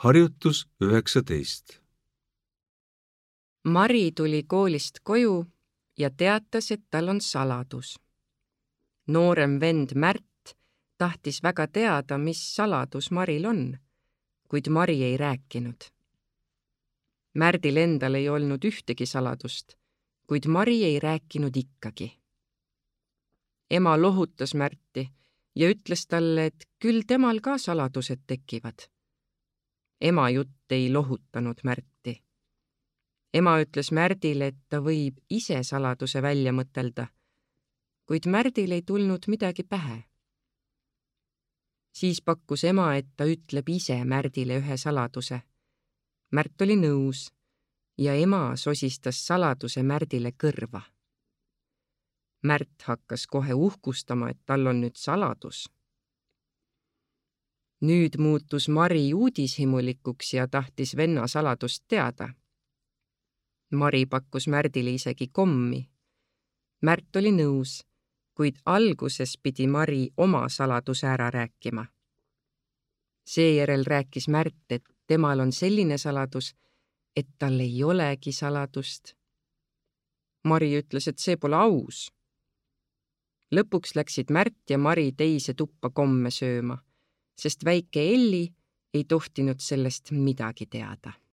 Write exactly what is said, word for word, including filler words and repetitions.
Harjutus üheksateist. Mari tuli koolist koju ja teatas, et tal on saladus. Noorem vend Märt tahtis väga teada, mis saladus Maril on, kuid Mari ei rääkinud. Märdil endal ei olnud ühtegi saladust, kuid Mari ei rääkinud ikkagi. Ema lohutas Märti ja ütles talle, et küll temal ka saladused tekivad. Ema jutt ei lohutanud Märti. Ema ütles Märdile, et ta võib ise saladuse välja mõtelda, kuid Märdil ei tulnud midagi pähe. Siis pakkus ema, et ta ütleb ise Märdile ühe saladuse. Märt oli nõus ja ema sosistas saladuse Märdile kõrva. Märt hakkas kohe uhkustama, et tal on nüüd saladus. Nüüd muutus Mari uudishimulikuks ja tahtis venna saladust teada. Mari pakkus Märdile isegi kommi. Märt oli nõus, kuid alguses pidi Mari oma saladuse ära rääkima. Seejärel rääkis Märt, et temal on selline saladus, et tal ei olegi saladust. Mari ütles, et see pole aus. Lõpuks läksid Märt ja Mari teise tuppa komme sööma, sest väike Elli ei tohtinud sellest midagi teada.